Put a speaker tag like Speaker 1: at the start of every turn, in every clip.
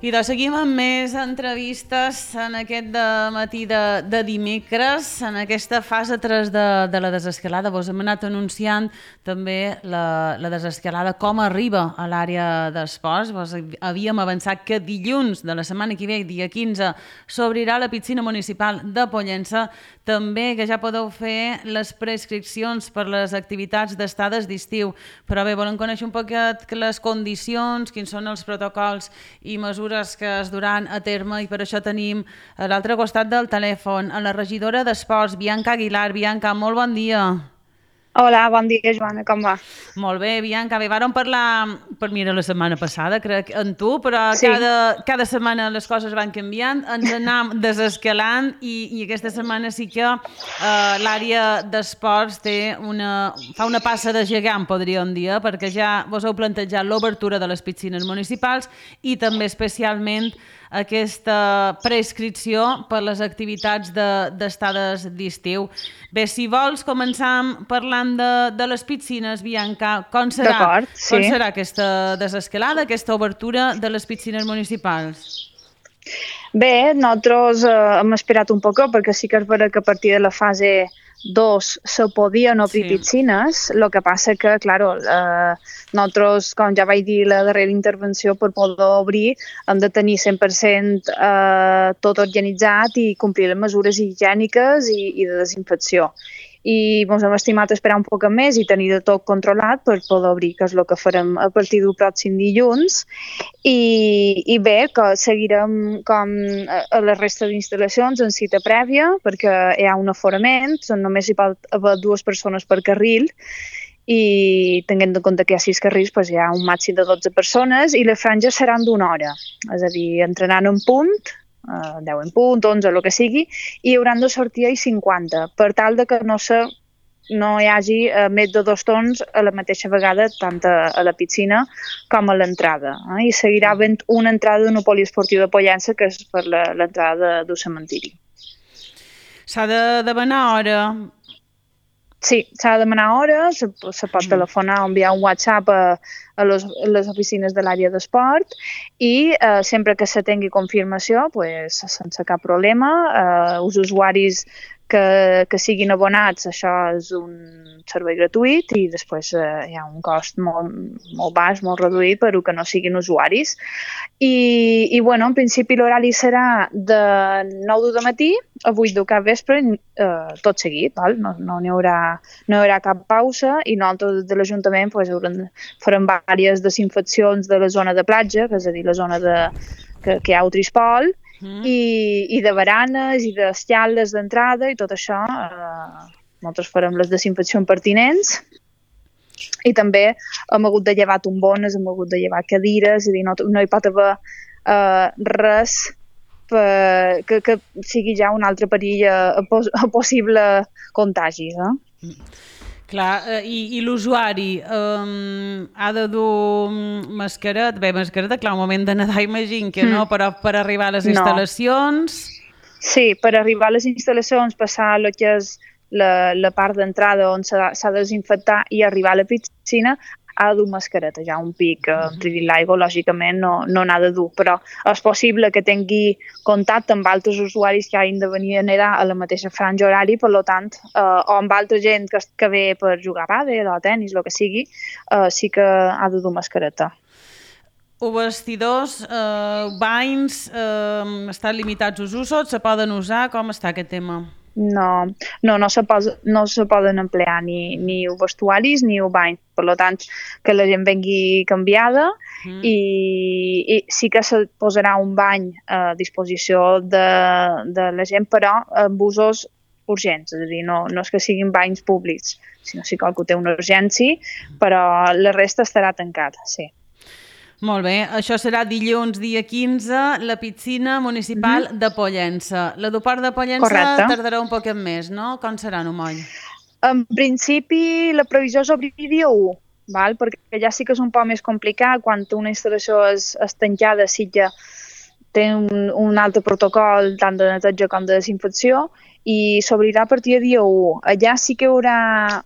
Speaker 1: I doncs seguim amb més entrevistes en aquest matí de dimecres, en aquesta fase 3 de la desescalada. Vos hem anat anunciant també la desescalada, com arriba a l'àrea d'esports. Vos havíem avançat que dilluns de la setmana que ve, dia 15, s'obrirà la piscina municipal de Pollença. També que ja podeu fer les prescripcions per les activitats d'estades d'estiu. Però bé, volem conèixer un poquet les condicions, quins són els protocols i mesures que es duran a terme, i per això tenim a l'altre costat del telèfon a la regidora d'Esports, Bianca Aguilar. Bianca, molt bon dia.
Speaker 2: Hola, bon dia, Joana, com va?
Speaker 1: Molt bé, Bianca. Bé, vàrem parlar la setmana passada, crec, amb tu, però
Speaker 2: Sí.
Speaker 1: cada setmana les coses van canviant, ens anem desescalant i aquesta setmana sí que l'àrea d'esports fa una passa de gegant, podríem dir, perquè ja vos heu plantejat l'obertura de les piscines municipals i també especialment aquesta prescripció per les activitats d'estades d'estiu. Bé, si vols, començar parlant de les piscines, Bianca. Com serà?
Speaker 2: D'acord, sí.
Speaker 1: Com serà aquesta desescalada, aquesta obertura de les piscines municipals?
Speaker 2: Bé, nosaltres hem esperat un poc perquè sí que és vera que a partir de la fase 2 se podien obrir piscines, el que passa que, claro, nosaltres, com ja vaig dir la darrera intervenció, per poder obrir hem de tenir 100% tot organitzat i complir les mesures higièniques i de desinfecció. I ens hem estimat esperar un poc més i tenir de tot controlat per poder obrir, que és el que farem a partir del pròxim dilluns. I bé, que seguirem com a la resta d'instal·lacions en cita prèvia, perquè hi ha un aforament, només hi pot haver 2 persones per carril, i tenint en compte que hi ha 6 carrils, doncs hi ha un màxim de 12 persones i les franges seran d'1 hora, és a dir, entrenant en punt, 10 en punt, 11, el que sigui, i hauran de sortir a 50, per tal de que no hi hagi més de 2 torns a la mateixa vegada, tant a la piscina com a l'entrada. I seguirà havent una entrada d'un poliesportiu de Pollença, que és per l'entrada del cementiri.
Speaker 1: S'ha de demanar hora?
Speaker 2: Sí, s'ha de demanar hora, se pot telefonar o enviar un WhatsApp a les oficines de l'àrea d'esport i sempre que se tingui confirmació, pues, sense cap problema, els usuaris que siguin abonats, això és un servei gratuït i després hi ha un cost molt baix, molt reduït per a que no siguin usuaris. I bueno, en principi l'horari serà de 9 de matí a 8 del capvespre, tot seguit, val? No hi haurà cap pausa i nosaltres de l'Ajuntament pues, farem diverses desinfeccions de la zona de platja, és a dir, la zona que hi ha el trispol, i de baranes i d'escales d'entrada i tot això. Nosaltres farem les desinfeccions pertinents i també hem hagut de llevar tombones, hem hagut de llevar cadires, és a dir, no hi pot haver res que sigui ja un altre perill a possible contagi.
Speaker 1: Clar, i l'usuari ha de dur mascareta? Bé, mascareta, clar, un moment de nedar imagino que no, però per arribar a les instal·lacions...
Speaker 2: Sí, per arribar a les instal·lacions, passar el que és la part d'entrada on s'ha de desinfectar i arribar a la piscina, ha de dur mascareta. Ja un pic tridint l'aigua, lògicament, no n'ha de dur, però és possible que tingui contacte amb altres usuaris que hagin de venir a nedar a la mateixa franja horària, per tant, o amb altra gent que ve per jugar a pàdel o a tenis, el que sigui, sí que ha de dur mascareta.
Speaker 1: Els vestidors, banys, estan limitats els usos, se poden usar? Com està aquest tema?
Speaker 2: No se poden emplear ni vestuaris ni bany. Per tant, que la gent vengui canviada i sí que se posarà un bany a disposició de la gent, però amb usos urgents, és a dir, no és que siguin banys públics, sinó si qualcú té una urgència, però la resta estarà tancat, sí.
Speaker 1: Molt bé, això serà dilluns, dia 15, la piscina municipal de Pollença. L'aeroport de Pollença tardarà un poquet més, no? Com serà, no moll?
Speaker 2: En principi, la previsió és obrir dia 1, perquè ja sí que és un poc més complicat quan una instal·lació és tancada, sí que té un altre protocol tant de neteja com de desinfecció i s'obrirà a partir de dia 1. Allà sí que hi haurà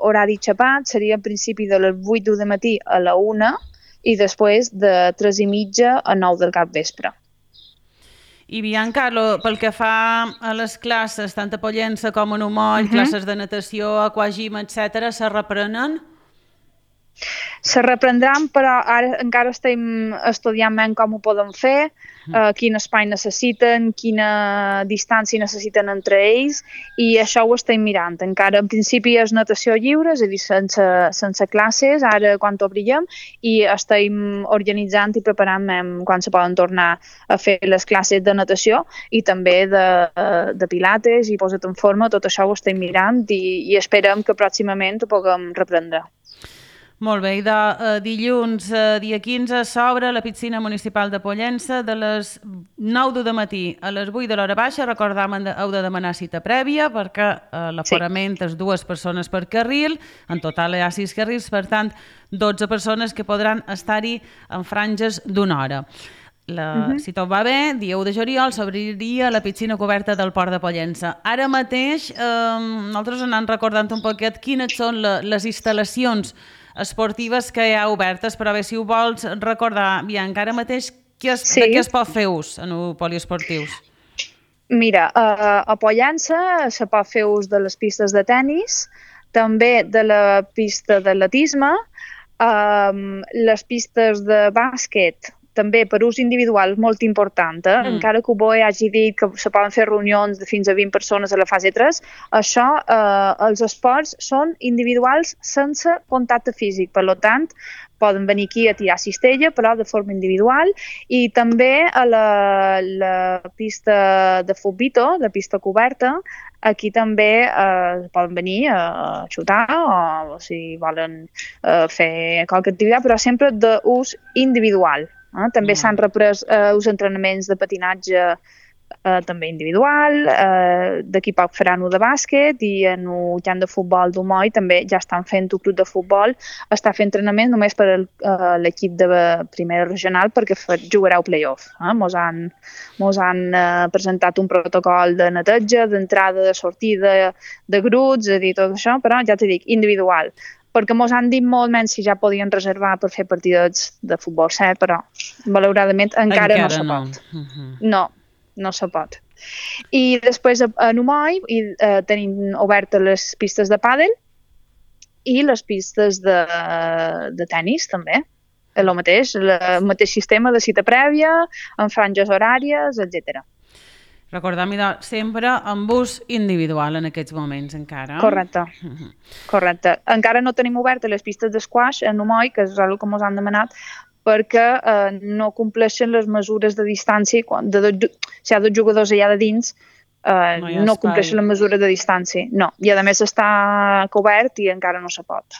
Speaker 2: horari xapat, seria a principi de les 8 del matí a la 1, i després de 3:30 a 9 del capvespre.
Speaker 1: I Bianca, pel que fa a les classes, tant a Pollença com a Numoll, classes de natació, aquagym, etc., se reprenen?
Speaker 2: Se reprendran, però ara encara estem estudiant ben com ho podem fer, quin espai necessiten, quina distància necessiten entre ells, i això ho estem mirant. Encara en principi és natació lliure, és a dir, sense classes, ara quan obrirem, i estem organitzant i preparant quan se poden tornar a fer les classes de natació i també de pilates i posa't en forma, tot això ho estem mirant i esperem que pròximament ho puguem reprendre.
Speaker 1: Molt bé, i de dilluns, dia 15, s'obre la piscina municipal de Pollença de les 9 del matí a les 8 de l'hora baixa. Recordam, heu de demanar cita prèvia perquè l'aforament és 2 persones per carril, en total hi ha 6 carrils, per tant, 12 persones que podran estar-hi en franges d'una hora. Si tot va bé, dia 1 de juliol s'obriria la piscina coberta del Port de Pollença. Ara mateix, nosaltres anem recordant un poquet quines són les instal·lacions esportives que hi ha obertes, però bé, si ho vols recordar, Bianca, ara mateix de què es pot fer ús en poliesportius?
Speaker 2: Mira, a Pollença se pot fer ús de les pistes de tennis, també de la pista d'atletisme, les pistes de bàsquet, també per ús individual molt important, encara que BOE hagi dit que se poden fer reunions de fins a 20 persones a la fase 3, això, els esports són individuals sense contacte físic, per tant, poden venir aquí a tirar cistella, però de forma individual, i també a la pista de futbito, la pista coberta, aquí també poden venir a xutar o si volen fer qualque activitat, però sempre d'ús individual. També s'han reprès els entrenaments de patinatge també individual, d'aquí poc faran-ho de bàsquet i en el camp de futbol d'Umoll també ja estan fent un club de futbol, està fent entrenament només per l'equip de primera regional perquè jugarà el play-off. Mos han presentat un protocol de neteja, d'entrada, de sortida, de grups, és a dir, tot això, però ja t'he dit, individual. Perquè mos han dit molt menys si ja podien reservar per fer partidets de futbol 7, però malauradament encara no se pot. No se pot. I després a Numoll tenim obertes les pistes de pàdel i les pistes de tennis també. El mateix sistema de cita prèvia, amb franges horàries, etc.
Speaker 1: Recordem sempre amb ús individual en aquests moments encara.
Speaker 2: Correcte. Encara no tenim obertes les pistes d'esquaix a Numoll, que és el que ens han demanat, perquè no compleixen les mesures de distància. Si hi ha 2 jugadors allà de dins, no compleixen les mesures de distància. No, i a més està cobert i encara no se pot.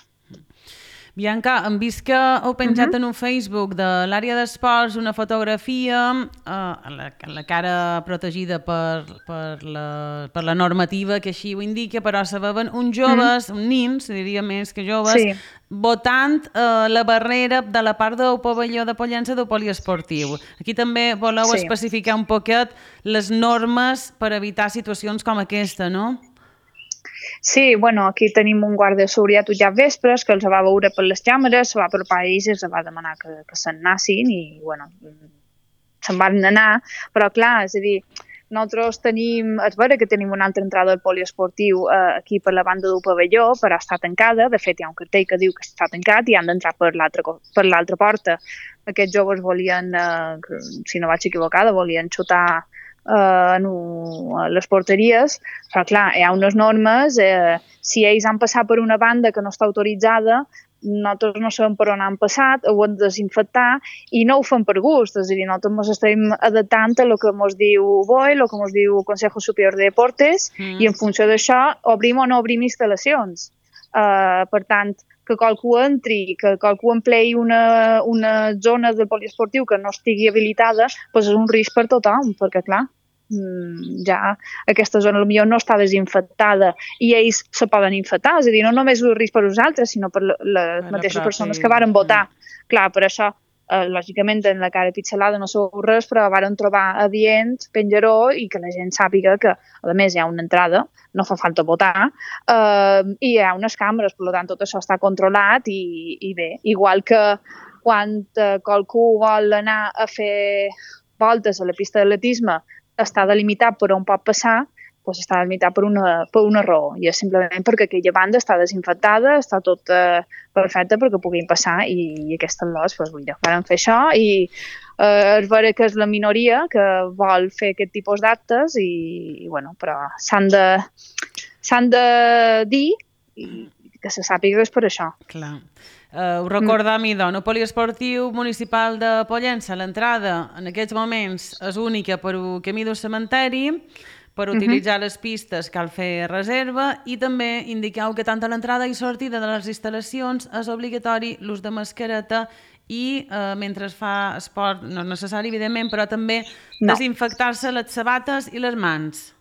Speaker 1: Bianca, hem vist que heu penjat en un Facebook de l'àrea d'esports una fotografia, la cara protegida per la normativa que així ho indica, però se veuen uns joves, uns nins, diria més que joves, votant la barrera de la part del pavelló de Pollença del poliesportiu. Aquí també voleu especificar un poquet les normes per evitar situacions com aquesta, no?
Speaker 2: Sí, aquí tenim un guàrdia de seguretat ja vespres que els va veure per les càmeres, se va apropar a ells i els va demanar que se'n anessin i, se'n van anar, però clar, és a dir, nosaltres és vera que tenim una altra entrada al poliesportiu aquí per la banda del pavelló, però està tancada, de fet hi ha un cartell que diu que està tancat i han d'entrar per l'altra porta. Aquests joves volien, si no vaig equivocada, volien xutar a les porteries, però clar, hi ha unes normes, si ells han passat per una banda que no està autoritzada, nosaltres no sabem per on han passat, ho hem de desinfectar i no ho fem per gust, és a dir, nosaltres ens estem adaptant a el que ens diu BOE, el que ens diu el Consejo Superior de Deportes i en funció d'això obrim o no obrim instal·lacions. Per tant, que qualcú entri, que qualcú empleï una zona del poliesportiu que no estigui habilitada, doncs és un risc per tothom, perquè clar, ja aquesta zona potser no està desinfectada i ells se poden infectar, és a dir, no només és un risc per nosaltres, sinó per les mateixes persones que varen votar. Clar, per això, lògicament, en la cara pitxelada no sabeu res, però varen trobar adient, penjaró, i que la gent sàpiga que, a més, hi ha una entrada, no fa falta votar, i hi ha unes càmeres, per tant, tot això està controlat i bé, igual que quan qualcú vol anar a fer voltes a la pista d'atletisme, està delimitat per on pot passar, doncs està delimitat per una raó, i és simplement perquè aquella banda està desinfectada, està tot perfecte perquè puguin passar, i aquestes lots, doncs, van fer això, i és vera que és la minoria que vol fer aquest tipus d'actes, i bueno, però s'han de dir que se sàpiga que és per això.
Speaker 1: Clar. Ho recordam, idò, el poliesportiu municipal de Pollença, l'entrada en aquests moments és única per un camí del cementeri, per utilitzar les pistes cal fer reserva, i també indiqueu que tant a l'entrada i sortida de les instal·lacions és obligatori l'ús de mascareta i mentre es fa esport, no és necessari evidentment, però també desinfectar-se les sabates i les mans.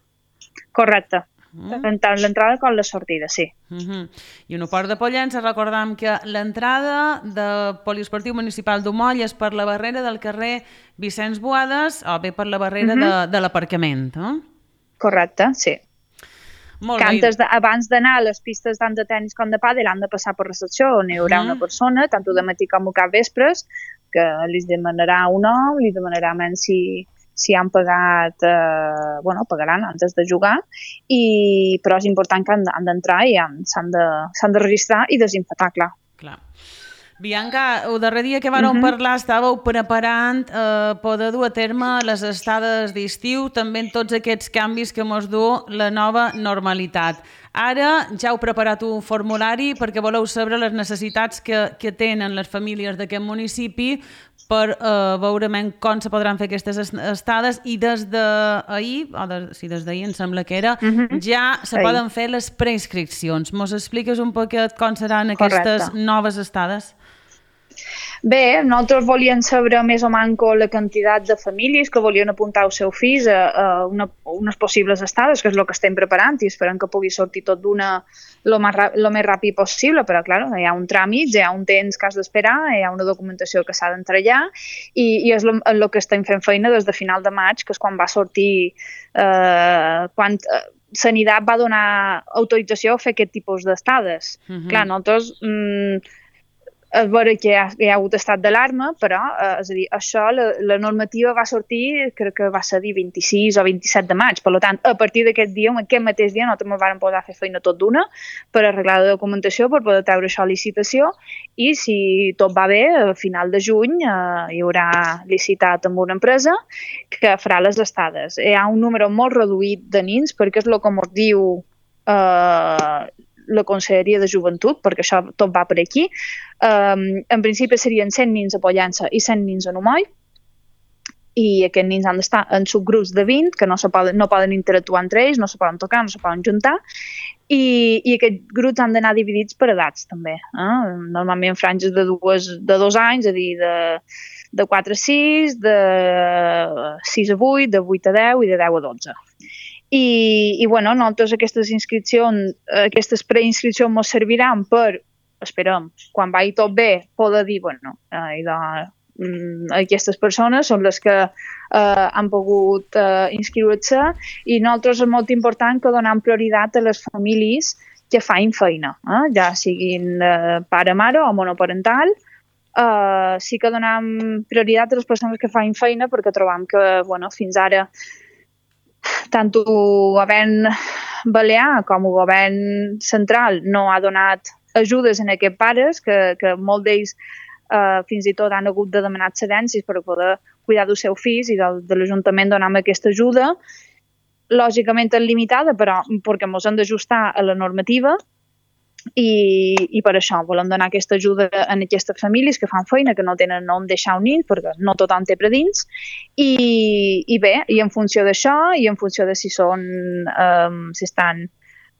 Speaker 2: Correcte. Tant l'entrada com la sortida, sí.
Speaker 1: I un port de Pollença, recordam que l'entrada del poliesportiu municipal d'Umoll és per la barrera del carrer Vicenç Boades o bé per la barrera de l'aparcament,
Speaker 2: Correcte, sí.
Speaker 1: Molt bé.
Speaker 2: Abans d'anar a les pistes tant de tennis com de pàdel han de passar per recepció, on hi haurà una persona, tant de matí com a cap vespres, que li demanarà un nom, li demanarà menys si han pagat, pagaran antes de jugar, però és important que han d'entrar i s'han de registrar i desinfectar, clar.
Speaker 1: Bianca, el darrer dia que vàreu parlar estàveu preparant poder dur a terme les estades d'estiu, també en tots aquests canvis que mos du la nova normalitat. Ara ja heu preparat un formulari perquè voleu saber les necessitats que tenen les famílies d'aquest municipi per veure com se podran fer aquestes estades, i des d'ahir, des d'ahir em sembla que era, ja se poden fer les preinscripcions. Mos expliques un poquet com seran aquestes noves estades?
Speaker 2: Bé, nosaltres volíem saber més o menys la quantitat de famílies que volien apuntar els seus fills a unes possibles estades, que és el que estem preparant, i esperem que pugui sortir tot d'una el més ràpid possible, però clar, hi ha un tràmit, hi ha un temps que has d'esperar, hi ha una documentació que s'ha d'entrellar, i és el que estem fent feina des de final de maig, que és quan va sortir, quan Sanitat va donar autorització a fer aquest tipus d'estades. Clar, nosaltres és vera que hi ha hagut estat d'alarma, però és a dir, això, la normativa va sortir, crec que va ser dir 26 o 27 de maig, per tant, a partir d'aquest dia, aquest mateix dia, nosaltres ens vam posar a fer feina tot d'una per arreglar la documentació, per poder treure això a licitació, i si tot va bé, a final de juny hi haurà licitat amb una empresa que farà les estades. Hi ha un número molt reduït de nins, perquè és el que ens diu la Conselleria de Joventut, perquè això tot va per aquí. En principi serien 100 nins a Pollença i 100 nins a Umoll, i aquests nins han d'estar en subgrups de 20, que no poden interactuar entre ells, no se poden tocar, no se poden juntar, i aquests grups han d'anar dividits per edats, també. Normalment franges de 2 anys, és a dir, de 4 a 6, de 6 a 8, de 8 a 10 i de 10 a 12. I bueno, nosaltres aquestes preinscripcions ens serviran per, esperem, quan vagi tot bé, poder dir, bueno, aquestes persones són les que han pogut inscriure-se, i nosaltres és molt important que donem prioritat a les famílies que fan feina, ja siguin pare-mare o monoparental. Sí que donem prioritat a les persones que fan feina, perquè trobam que fins ara tant el govern balear com el govern central no ha donat ajudes en aquests pares, que molts d'ells fins i tot han hagut de demanar excedències per poder cuidar dels seus fills, i de l'Ajuntament donem aquesta ajuda. Lògicament és limitada, però perquè ens hem d'ajustar a la normativa, i per això volem donar aquesta ajuda a aquestes famílies que fan feina, que no tenen on deixar un nin, perquè no tothom té predins, i bé, i en funció d'això, i en funció de si estan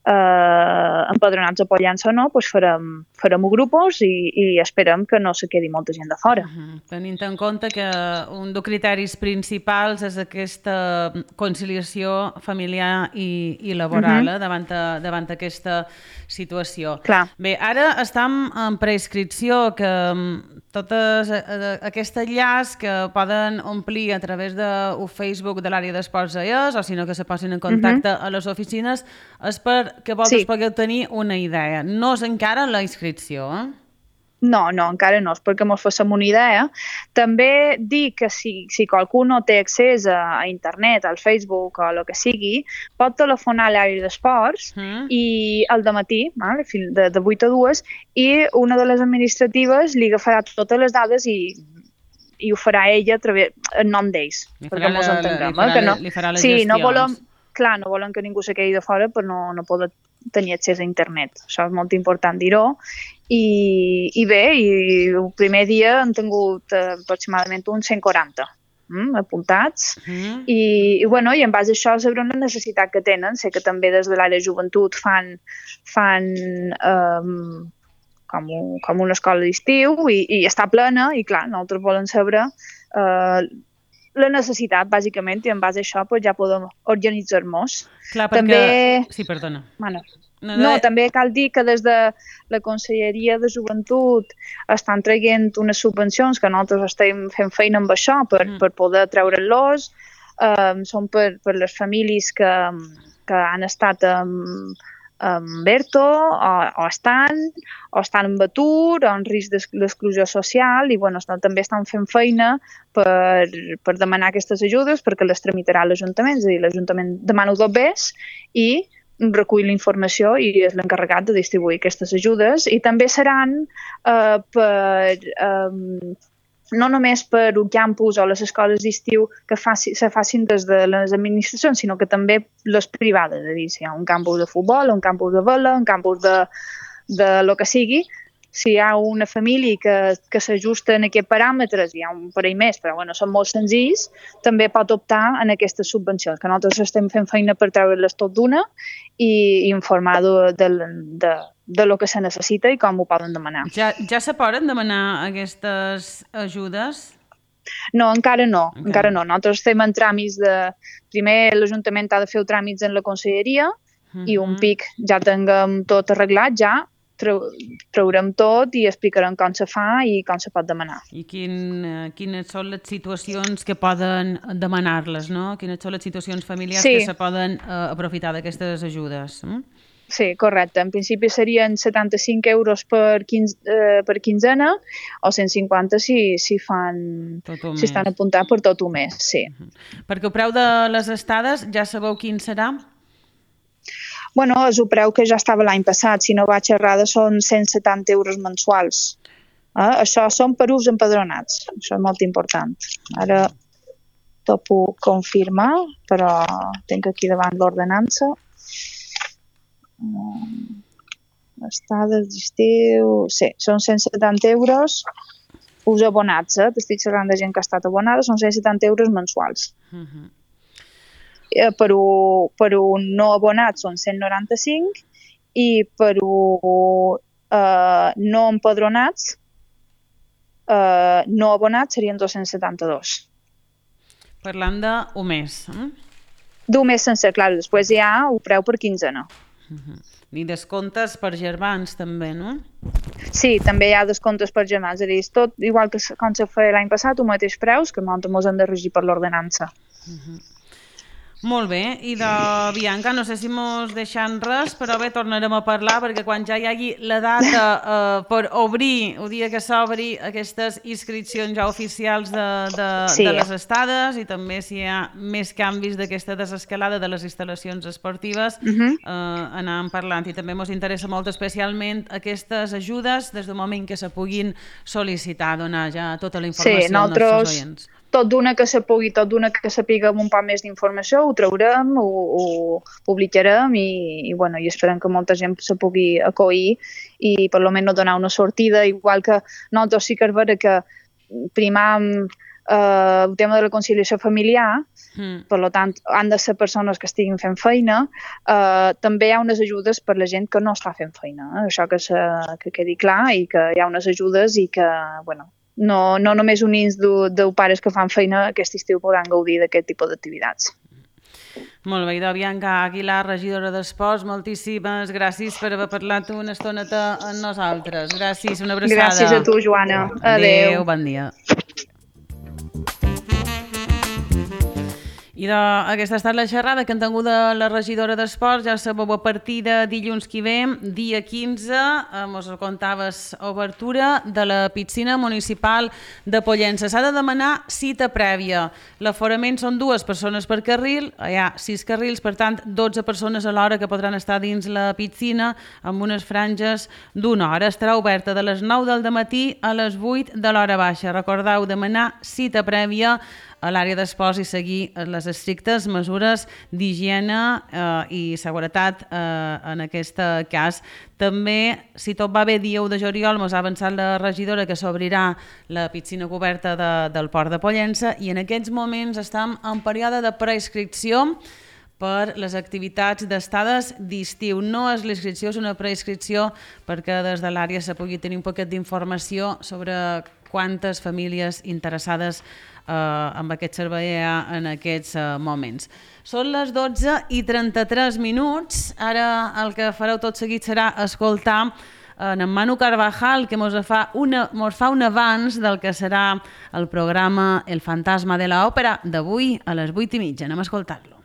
Speaker 2: empadronats a Pollença o no, doncs farem grupos i esperem que no se quedi molta gent de fora.
Speaker 1: Tenint en compte que un dels criteris principals és aquesta conciliació familiar i laboral davant aquesta situació.
Speaker 2: Clar.
Speaker 1: Bé, ara estem en preinscripció, que tot aquest enllaç que poden omplir a través del Facebook de l'àrea d'esports AES, o si no que se posin en contacte a les oficines, és perquè vosaltres pugueu tenir una idea. No és encara la inscripció,
Speaker 2: No, encara no, és perquè mos fassem una idea. També dic que si qualcú no té accés a internet, al Facebook o el que sigui, pot telefonar a l'àrea d'esports i al dematí, de 8 a 2, i una de les administratives li agafarà totes les dades i ho farà ella en nom d'ells, perquè ens entenguem.
Speaker 1: Li farà les gestions.
Speaker 2: No volen que ningú se quedi de fora per no poder tenir accés a internet. Això és molt important dir-ho. I bé, el primer dia han tingut aproximadament uns 140 apuntats i en base a això sabrem la necessitat que tenen. Sé que també des de l'àrea de joventut fan com una escola d'estiu i està plena i clar, nosaltres volem saber la necessitat, bàsicament, i en base a això ja podem organitzar-nos.
Speaker 1: Clar, perquè... Sí, perdona.
Speaker 2: També cal dir que des de la Conselleria de Joventut estan traient unes subvencions que nosaltres estem fent feina amb això per poder treure-los. Són per les famílies que han estat amb ERTO o estan en atur o en risc d'exclusió social i també estan fent feina per demanar aquestes ajudes perquè les tramitarà l'Ajuntament, és a dir, l'Ajuntament demana dos bes i recull la informació i és l'encarregat de distribuir aquestes ajudes i també seran no només per un campus o les escoles d'estiu que se facin des de les administracions, sinó que també les privades, és a dir, si hi ha un campus de futbol, un campus de vela, un campus de lo que sigui, si hi ha una família que s'ajusta en aquests paràmetres, hi ha un parell més, però són molt senzills, també pot optar en aquestes subvencions, que nosaltres estem fent feina per treure-les tot d'una i informar de lo que se necessita i com ho poden demanar.
Speaker 1: Ja se poden demanar aquestes ajudes?
Speaker 2: No, encara no. Nosaltres estem en tràmits Primer l'Ajuntament ha de fer els tràmits en la Conselleria i un pic ja tinguem tot arreglat, ja traurem tot i explicarem com se fa i com se pot demanar.
Speaker 1: I quines són les situacions que poden demanar-les, no? Quines són les situacions familiars que se poden aprofitar d'aquestes ajudes?
Speaker 2: Sí, correcte. En principi serien 75 euros per quinzena o 150 si estan apuntats per tot un mes, sí.
Speaker 1: Perquè el preu de les estades ja sabeu quin serà?
Speaker 2: És el preu que ja estava l'any passat. Si no vaig errada, són 170 euros mensuals. Això són per ús empadronats. Això és molt important. Ara t'ho puc confirmar, però tinc aquí davant l'ordenança. Estades d'estiu... Sí, són 170 euros ús abonats. T'estic parlant de gent que ha estat abonada, són 170 euros mensuals. Per un no abonat són 195 i per un no empadronats no abonats serien 272.
Speaker 1: Parlant d'un mes.
Speaker 2: D'un mes sencer, clar, després hi ha el preu per quinzena.
Speaker 1: I descomptes per germans també, no?
Speaker 2: Sí, també hi ha descomptes per germans, és a dir, tot igual que com se feia l'any passat, el mateix preus, que nosaltres ens hem de regir per l'ordenança.
Speaker 1: Molt bé, i de Bianca, no sé si mos deixant res, però bé, tornarem a parlar, perquè quan ja hi hagi la data per obrir, el dia que s'obri aquestes inscripcions ja oficials de les estades, i també si hi ha més canvis d'aquesta desescalada de les instal·lacions esportives, anàvem parlant. I també mos interessa molt especialment aquestes ajudes des del moment que se puguin sol·licitar, donar ja tota la informació als nostres oients.
Speaker 2: Tot d'una que se pugui, tot d'una que sapiguem un poc més d'informació, ho traurem, ho publicarem i esperem que molta gent se pugui acollir i per almenys donar una sortida, igual que nosaltres sí que és vera que primam el tema de la conciliació familiar, per tant han de ser persones que estiguin fent feina, també hi ha unes ajudes per la gent que no està fent feina, això que quedi clar i que hi ha unes ajudes i que, no només units de pares que fan feina aquest estiu podran gaudir d'aquest tipus d'activitats.
Speaker 1: Molt bé, Bianca Aguilar, regidora d'Esports, moltíssimes gràcies per haver parlat una estoneta amb nosaltres. Gràcies, una abraçada.
Speaker 2: Gràcies a tu, Joana. Adéu.
Speaker 1: Bon dia. I aquesta ha estat la xerrada que han tingut de la regidora d'Esports. Ja sabeu, a partir de dilluns que ve, dia 15, mos contaves obertura de la piscina municipal de Pollença. S'ha de demanar cita prèvia. L'aforament són 2 persones per carril, hi ha 6 carrils, per tant 12 persones a l'hora que podran estar dins la piscina amb unes franges d'1 hora. Estarà oberta de les 9 del matí a les 8 de l'hora baixa. Recordeu demanar cita prèvia a l'àrea d'esports i seguir les estrictes mesures d'higiene i seguretat en aquest cas. També, si tot va bé, dia 1 de juliol mos ha avançat la regidora que s'obrirà la piscina coberta del Port de Pollença i en aquests moments estem en període de preinscripció per les activitats d'estades d'estiu. No és l'inscripció, és una preinscripció perquè des de l'àrea se pugui tenir un poquet d'informació sobre quantes famílies interessades amb aquest servei hi ha en aquests moments. Són les 12:33. Ara el que fareu tot seguit serà escoltar en Manu Carvajal, que mos fa un avanç del que serà el programa El fantasma de l'òpera d'avui a les 8:30. Anem a escoltar-lo.